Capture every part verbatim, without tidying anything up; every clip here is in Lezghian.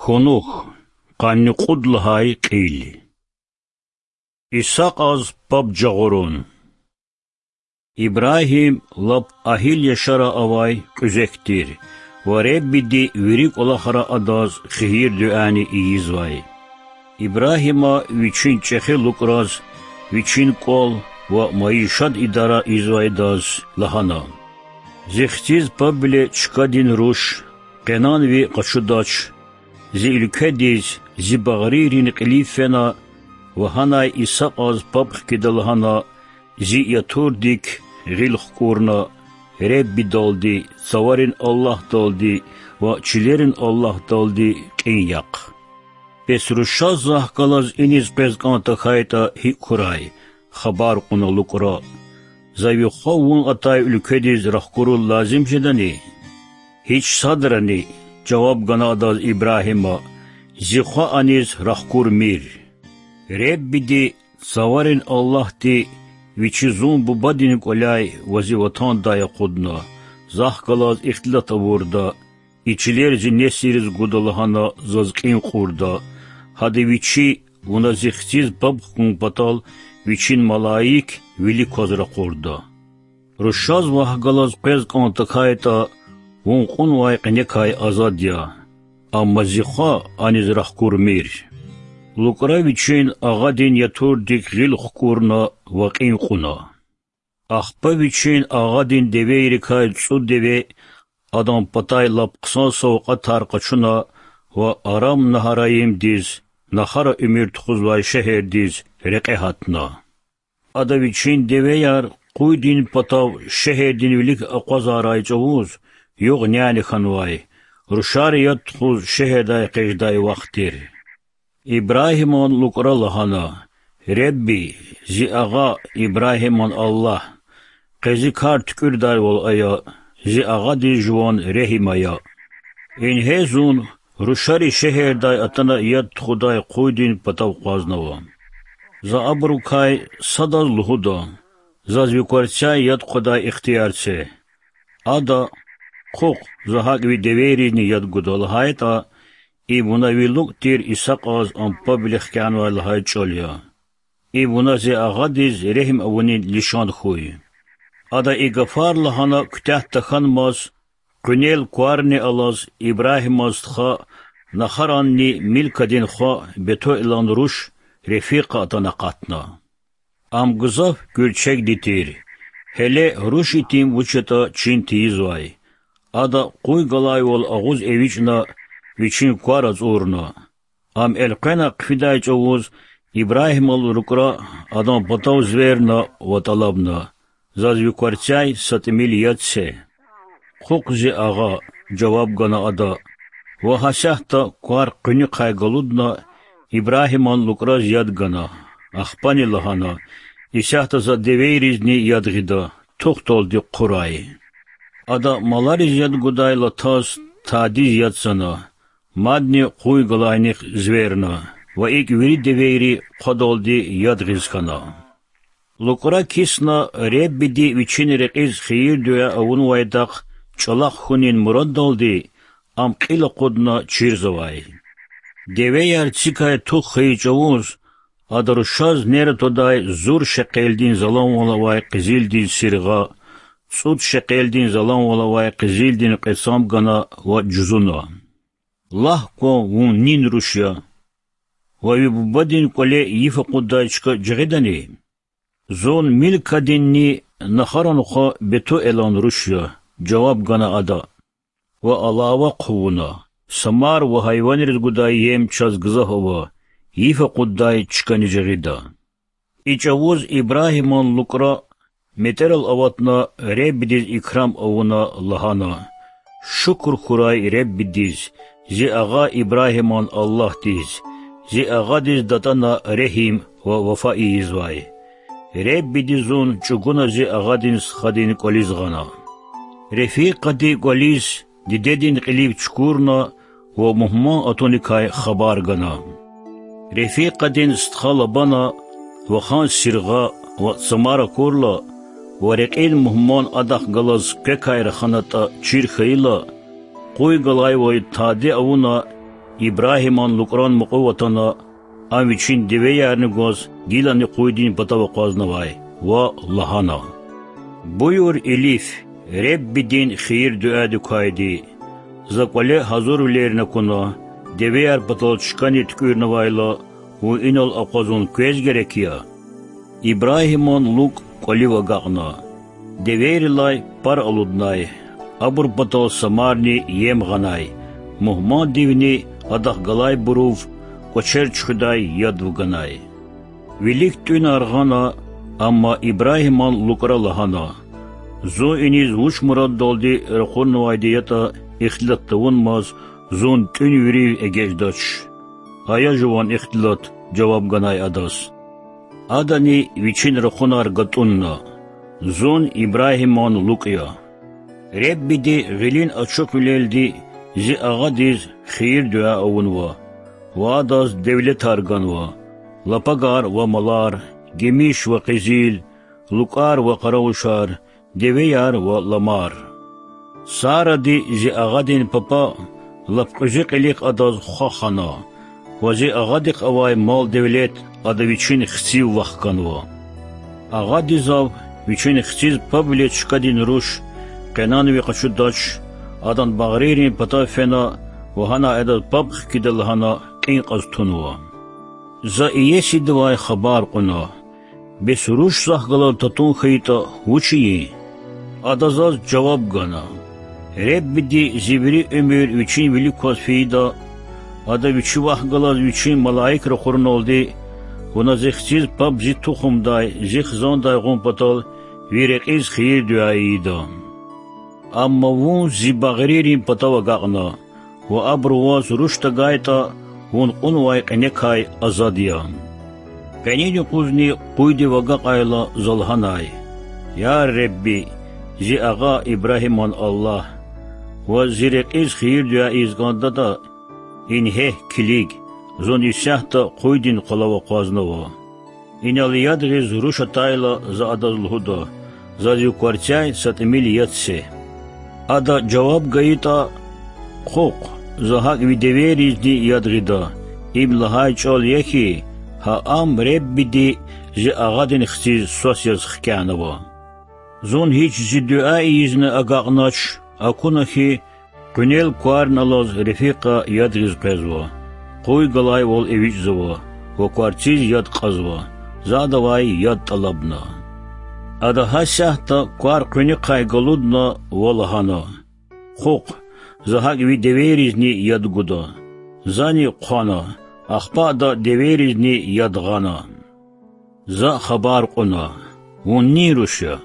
Къунух, къанни кьуд лагьай кьил. Исакьаз паб жагъурун. Ибрагьим лап агьил яшара авай кьуьзек тир ва Реббиди вири кӀвалахра адаз хийир-дуьани ийизвай. Ибрагьима вичин чӀехи лукӀраз вичин кӀвал ва майишат идара ийизвайдаз лагьана: Зи хциз пабвиле чкадин руш, къенан ви къачудач, зи уьлкведиз, зи багърийрин кьилив фена ва гьанай Исакьаз паб хкида лагьана, зи ятурдик гъил хкӀурна, Реббидалди, цаварин Аллагьдалди ва чилерин Аллагьдалди кьин яхъ. Бес рушаз захъ галаз иниз къвез кӀан тахьайтӀа гьикӀ хьурай? хабар кьуна лукӀра. За ви хва вун атай уьлкведиз рахкуруз лазим жедани? Гьич садрани, жаваб гана адаз Ибрагьима, зи хва аниз рахкурмир. Реббиди, цаварин Аллагьди, вичи зун бубадин кӀваляй ва зи ватандай акъудна, захъ галаз ихтилат авурда, и чилер зи несилриз гуда лагьана заз кьин кьурда, гьада вичи, вуна зи хциз паб хкун патал, вичин малаик вилик кваз ракъурда. Рушаз вахъ галаз къвез кӀан тахьайтӀа, вун кьунвай къенекай азад я. Амма зи хва аниз рахкурмир. ЛукӀра вичин агъадин ятурдик гъил хкӀурна ва кьин кьуна. Ахпа вичин агъадин девейрикай цӀуд деве, адан патай лап хъсан савкьватар къачуна ва Арам-Нагьараимдиз, Нахара уьмуьр тухузвай шегьердиз, рекье гьатна. Ада вичин девеяр къуйдин патав шегьердин вилик акъвазарай чӀавуз югъ-няни хьанвай, рушари яд тухуз шегьердай экъечӀдай вахт тир. Ибрагьиман лукӀра лагьана: Ребби, зи агъа Ибрагьиман Аллагь, къе зи кар туькӀуьрдайвал ая, зи агъадиз жуван регьим ая. Ингье зун рушари шегьердай атана яд тухудай къуйдин патав акъвазнава. За абурукай садаз лугьуда: заз ви кварцяй яд хъвадай ихтияр це. Ада: Хъухъ, за гьакӀ ви девейризни яд гуда, лагьайтӀа, им вуна ви лукӀ тир Исакьаз ам пабвиле хкянвай лагьай чӀал я. Им вуна зи агъадиз регьим авунин лишан хьуй. Ада и гафар лагьана куьтягь тахьанмаз, къуьнел кварни алаз, Ибрагьиман стха, Нахаранни Милкадин хва Бетуэлан руш Рефикъа атана акъатна. Ам гзаф гуьрчегди тир, гьеле руш итим вуч ятӀа чин тийизвай. Ада къуй галайвал агъуз эвичӀна, вичин квар ацӀурна. Ам элкъвена хъфидай чӀавуз Ибрагьимал лукӀра адан патав зверна ва тӀалабна: Заз ви кварцяй са тӀимил яд це. Хъухъ, зи агъа, жаваб гана ада, ва гьасятда квар къуьнуьхъай галудна, Ибрагьиман лукӀраз яд гана, ахпани лагьана: Исятда за девейризни яд гъида, тухдалди хъурай. Ада малариз яд гудай латаз тадиз яд цана, мадни къуй галайнихъ зверна ва икӀ вири девейри хъвадалди яд гъиз хьана. ЛукӀра кисна Реббиди вичин рекьиз хийир-дуьа авунвайдахъ чӀалахъ хьунин мураддалди, ам кьил акъудна чирзавай. Девеяр цикай тух хьайи чӀавуз, ада рушаз нера твадай зур шекъелдин заланвал авай къизилдин сиргъа, цӀуд шекъелдин заланвал авай къизилдин кьецам гана ва жузуна: Лагь кван, вун нин руш я ва ви бубадин кӀвале йиф акъуддай чка жагъидани? Зун Милкадинни Нахаран хва Бетуэлан руш я, жаваб гана ада, ва алава хъувуна: Са мар ва гьайванриз гудай ем чаз гзаф ава, йиф акъуддай чкани жагъида. И чӀавуз Ибрагьиман лукӀра метӀерал аватна, Реббидиз икрам авуна, лагьана: Шукур хьурай Реббидиз, зи агъа Ибрагьиман Аллагьдиз, зи агъадиз датӀана регьим ва вафа ийизвай. Реббиди зун чӀугуна зи агъадин стхадин кӀвализ гъана. Рефикъади кӀвализ дидедин кьилив чукурна ва мугьман атуникай хабар гана. Рефикъадин стха Лабана вахан сиргъа ва цамар акурла ва рекьин мугьман адахъ галаз квекай раханатӀа чир хьайила, къуй галайвай тади авуна, Ибрагьиман лукӀран мукьув атана, ам вичин девеярни гваз гилани къуйдин патав акъвазнавай ва лагьана: Буюр илиф, Реббидин хийир-дуьадикайди. За кӀвале гьазурвилерни акуна, девеяр патал чкани туькӀуьрнавайла, вун инал акъвазун квез герек я. Ибрагьиман лукӀ кӀвалив агакьна. Девейрилай пар алуднай, абур патал самарни ем гъанай, мугьмандивни адахъ галайбурув кӀвачер чуьхуьдай яд вуганай. Вилик тӀуьнар гъана, амма Ибрагьиман лукӀра лагьана: Зун иниз вуч мураддалди ракъурнавайди ятӀа ихтилат тавунмаз, зун тӀуьн вири эгечӀдач. Ая жуван ихтилат,— жаваб ганай адаз. Адани вичин ракъунар гатӀунна: Зун Ибрагьиман лукӀ я. Реббиди гъилин ачухвилелди зи агъадиз хийир-дуьа авунва ва адаз девлетар ганва: лапагар ва малар, гимиш ва къизил, лукӀар ва къаравушар, девеяр ва ламар. Саради, зи агъадин папа, лап кьуьзуь кьилихъ адаз хва хана ва зи агъадихъ авай мал-девлет ада вичин хцив вахканва. Агъади зав, вичин хциз пабвиле чкадин руш къенанви къачудач, адан багърийрин патав фена ва гьанай адаз паб хкида лагьана кьин кьаз тунва. За иесидивай хабар кьуна: Бес руш захъ галаз татун хьайитӀа, вуч ийин? Ада заз жаваб гана: Реббиди зи вири уьмуьр вичин вилик кваз фейида, Ада Вичи вахъ галаз Вичин малаик ракъурналди, вуна Зи хциз паб Зи тухумдай, Зи хизандай гъун патал ви рекьиз хийир-дуьа ийида. Амма вун Зи багърийрин патав агакьна ва абуру ваз руш тагайтӀа, вун кьунвай кьиникай азад я. Къенин юкъузни къуйдив агакьайла, за лагьанай: Я Ребби, зи агъа Ибрагьиман Аллагь! Ваз зи рекьиз хийир-дуьа ийиз кӀандатӀа, ингье, килиг, зун исятда къуйдин къвалав акъвазнава. Инал яд гъиз руш атайла, за адаз лугьуда: Заз ви кварцяй са тӀимил яд це. Ада жаваб гайитӀа: Хъухъ, за гьакӀ ви девейризни яд гъида, им лагьай чӀал я хьи, гьа ам Реббиди зи агъадин хциз свас яз хкянава. Зун гьич зи дуьа ийизни агакьнач, акуна хьи, къуьнел кварни алаз рефикьа яд гъиз къвезва, къуй галайвал эвичӀзава ва кварциз яд кьазва, за адавай яд тӀалабна. Ада гьасятда квар къуьнихъай галудна ва лагьана: Хъухъ, за гьакӀ ви девейризни яд гуда. Зани хъвана, ахпа ада девейризни яд гъана. За хабар кьуна: Вун нин руш я?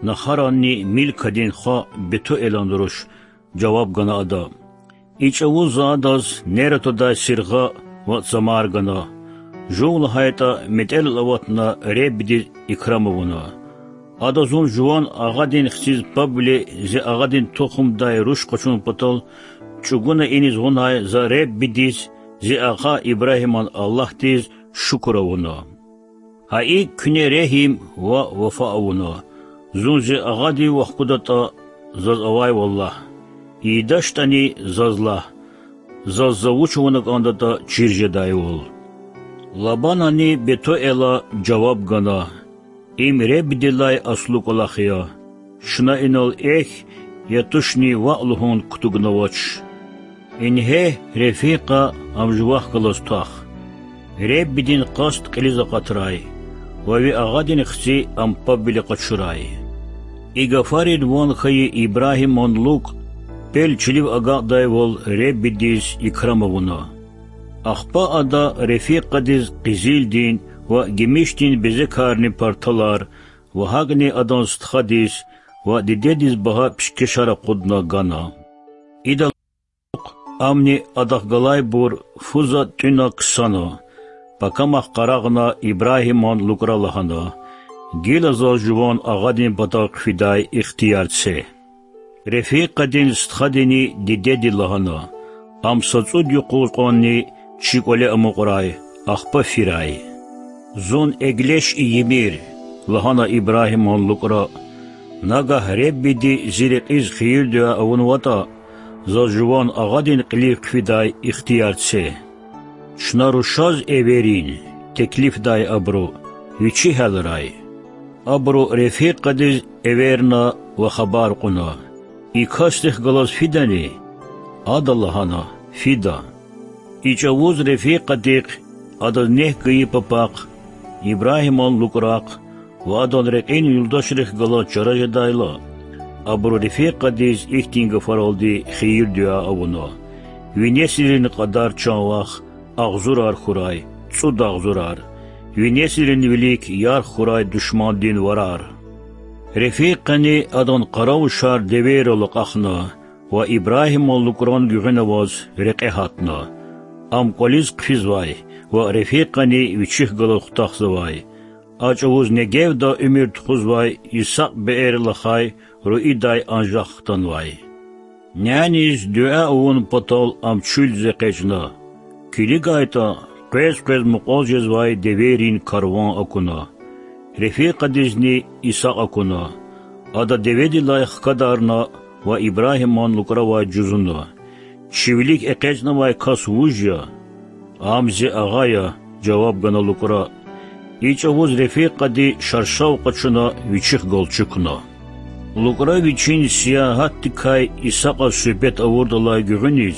Нахаранни Милкадин хва Бетуэлан руш,— жаваб гана ада. И чӀавуз за адаз Нератадай сиргъа ва цамар гана. Жув лагьайтӀа, метӀелал аватна Реббидиз икрам авуна. Ада зун жуван агъадин хциз пабвиле зи агъадин тухумдай руш къачун патал чӀугуна иниз гъунай за Реббидиз, зи агъа Ибрагьиман Аллагьдиз шукур авуна. Гьа икӀ куьне регьим ва вафа авуна. Зун зи агъадив вахкудатӀа, заз авайвал лагь. ИйидачтӀани, заз лагь, заз за вуч авуна кӀандатӀа чир жедайвал. Лабанани Бетуэла жаваб гана: Им Реббидилай аслу кӀвалах я. Чна инал эхь я тушни ваъ лугьун кутугнавач. Ингье, Рефикьа, ам жувахъ галаз твах. Реббидин къаст кьилиз акъатрай ва ви агъадин хци ам пабвиле къачурай. И гафарин ван хьайи Ибрагьиман лукӀ пел чилив агакьдайвал Реббидиз икрам авуна. Ахпа ада Рефикьадиз къизилдин ва гимишдин безекарни парталар ва гьакӀни адан стхадиз ва дидедиз багьа пишкешар акъудна гана. Идалай кьулухъ амни адахъ галайбур фу затӀ тӀуьна ксана, пакамахъ къарагъна Ибрагьиман лукӀра лагьана: Гила заз жуван агъадин патав хъфидай ихтияр це. Рефикьадин стхадини дидеди лагьана: Ам са цӀуд юкъуз кьванни чи кӀвале амукьрай, ахпа фирай. Зун эглеш ийимир,— лагьана Ибрагьиман лукӀра,— нагагь Реббиди зи рекьиз хийир-дуьа авунватӀа, заз жуван агъадин кьилив хъфидай ихтияр це. Чна рушаз эверин, теклифдай абуру, вичи гьялрай. Абуру Рефикъадиз эверна ва хабар кьуна: И касдихъ галаз фидани? Ада лагьана: Фида. И чӀавуз Рефикъадихъ, адаз нек гайи папахъ, Ибрагьиман лукӀрахъ ва адан рекьин юлдашрихъ галаз чара жедайла, абуру Рефикъадиз ихьтин гафаралди хийир-дуьа авуна: Ви несилрин кьадар, чан вах, агъзурар хьурай, цӀуд агъзурар, ви несилрин вилик ярх хьурай душмандин варар. Рефикъани адан къаравушар девейрал акьахна ва Ибрагьиман лукӀран гуьгъуьна аваз рекье гьатна. Ам кӀвализ хъфизвай ва Рефикъани вичихъ галаз хутахзавай. А чӀавуз Негевда уьмуьр тухузвай Исакь Беэр лахай руидай анжах хтанвай. Няниз дуьа авун патал ам чуьлзаз экъечӀна. КилигайтӀа, къвез-къвез мукьвал жезвай девейрин карван акуна. Рефикъадизни Исакь акуна. Ада деведилай хкадарна ва Ибрагьиман лукӀравай жузуна: Чи вилик экъечӀнавай кас вуж я? Ам зи агъа я,— жаваб гана лукӀра. И чӀавуз Рефикъади шаршав къачуна вичихъ галчукна. ЛукӀра вичин сиягьатдикай Исакьаз суьгьбет авурдалай гуьгъуьниз,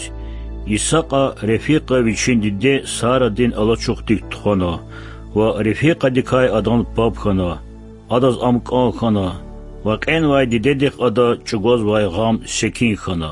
Исакьа Рефикъа вичин диде Сарадин алачухдик тухвана ва Рефикъадикай адан паб хьана. Адаз ам кӀан хьана ва кьенвай дидедихъ ада чӀугвазвай гъам секин хьана.